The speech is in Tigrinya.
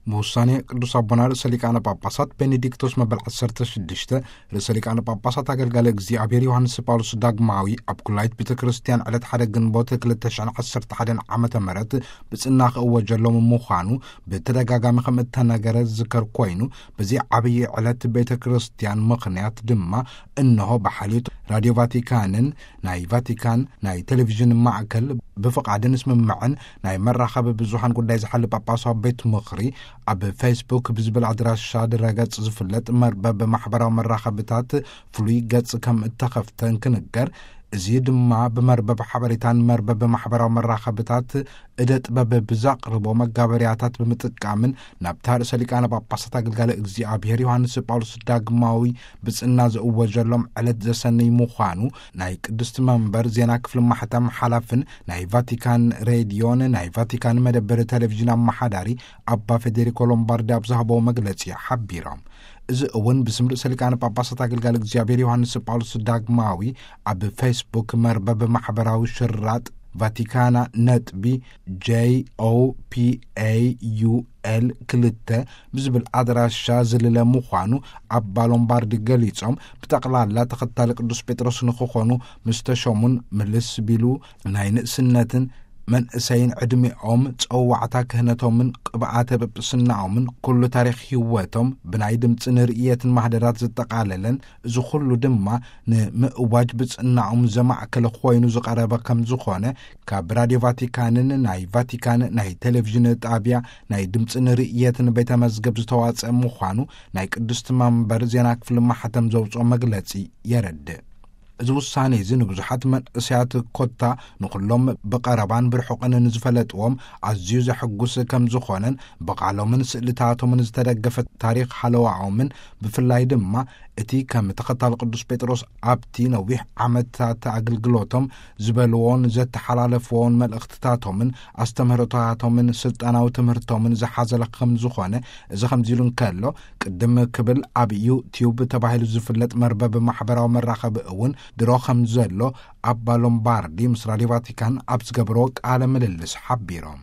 ብውሳኔ ቅዱስ ኣቦና ርእሰ ሊቃነ ጳጳሳት ቤኔዲክቶስ መበል ዓሰርተ ሽዱሽተ፣ ርእሰ ሊቃነ ጳጳሳት ኣገልጋሊ እግዚኣብሔር ዮሃንስ ጳውሎስ ዳግማዊ ኣብ ኩላይት ቤተ ክርስቲያን ዕለት ሓደ ግንቦት ክልተ ሽሕን ዓሰርተ ሓደን ዓመተ ምህረት ብጽና ክእወጀሎም ምዃኑ ብተደጋጋሚ ከም እተነገረ ዝዝከር ኮይኑ፣ በዚ ዓብዪ ዕለት ቤተ ክርስቲያን ምኽንያት ድማ፣ እንሆ ብሓልዮት ራድዮ ቫቲካንን ናይ ቫቲካን ናይ ቴሌቪዥን ማዕከል ብፍቓድን ስምምዕን ናይ መራኸቢ ብዙሃን ጉዳይ ዝሓሊ ጳጳሳዊ ቤት ምኽሪ፣ ኣብ ፌስቡክ ብዝብል ኣድራሻ ድረገጽ ዝፍለጥ መርበብ ማሕበራዊ መራኸብታት ፍሉይ ገጽ ከም እተኸፍተ እንክንገር፣ እዚ ድማ ብመርበብ ሓበሬታን መርበብ ማሕበራዊ መራኸብታት እደ ጥበብ ብዛቕርቦ መጋበርያታት ብምጥቃምን ናብታ ርእሰ ሊቃነ ጳጳሳት ኣገልጋሊ እግዚኣብሔር ዮሃንስ ጳውሎስ ዳግማዊ ብጽና ዝእወጀሎም ዕለት ዘሰንይ ምዃኑ ናይ ቅድስቲ መንበር ዜና ክፍሊ ማሕተም ሓላፍን ናይ ቫቲካን ሬድዮን ናይ ቫቲካን መደበር ቴሌቪዥን ኣመሓዳሪ ኣባ ፌዴሪኮ ሎምባርዲ ኣብ ዝሃበዎ መግለጺ ሓቢሮም። እዚ እውን ብስም ርእሰ ሊቃነ ጳጳሳት ኣገልጋሊ እግዚኣብሔር ዮሃንስ ጳውሎስ ዳግማዊ ኣብ ፌስቡክ መርበብ ማሕበራዊ ሽራጥ ቫቲካና ነጥቢ ጄኦፒኤዩኤል ክልተ ብዝብል ኣድራሻ ዝልለ ምዃኑ ኣባ ሎምባርዲ ገሊጾም፣ ብጠቕላላ ተኸታሊ ቅዱስ ጴጥሮስ ንክኾኑ ምስ ተሾሙን ምልስ ቢሉ ናይ ንእስነትን መንእሰይን ዕድሜኦም፣ ጸዋዕታ ክህነቶምን ቅብኣተ ጵጵስናኦምን ኩሉ ታሪኽ ህይወቶም ብናይ ድምፂ ንርእየትን ማህደራት ዘጠቓለለን፣ እዚ ኩሉ ድማ ንምእዋጅ ብጽናኦም ዘማእከለ ኮይኑ ዝቐረበ ከም ዝኾነ ካብ ራድዮ ቫቲካንን ናይ ቫቲካን ናይ ቴሌቪዥን ጣቢያ ናይ ድምፂ ንርእየትን ቤተ መዝገብ ዝተዋጸአ ምዃኑ ናይ ቅድስቲ መንበር ዜና ክፍሊ ማሕተም ዘውፅኦ መግለጺ የረድእ። እዚ ውሳኔ እዚ ንብዙሓት መንእሰያት ኮታ ንኹሎም ብቐረባን ብርሑቕን ንዝፈለጥዎም ኣዝዩ ዘሐጉስ ከም ዝኾነን፣ ብቓሎምን ስእልታቶምን ዝተደገፈ ታሪኽ ሃለዋኦምን፣ ብፍላይ ድማ እቲ ከም ተኸታሊ ቅዱስ ጴጥሮስ ኣብቲ ነዊሕ ዓመታት ኣገልግሎቶም ዝበልዎን ዘተሓላለፍዎን መልእኽትታቶምን ኣስተምህሮታቶምን ስልጣናዊ ትምህርቶምን ዝሓዘለ ከም ዝኾነ፣ እዚ ከምዚ ኢሉ እንከሎ፣ ቅድም ክብል ኣብ ዩቲዩብ ተባሂሉ ዝፍለጥ መርበብ ማሕበራዊ መራኸቢ እውን ድሮ ከም ዘሎ ኣባ ሎምባርዲ ምስ ራድዮ ቫቲካን ኣብ ዝገበርዎ ቃለ ምልልስ ሓቢሮም።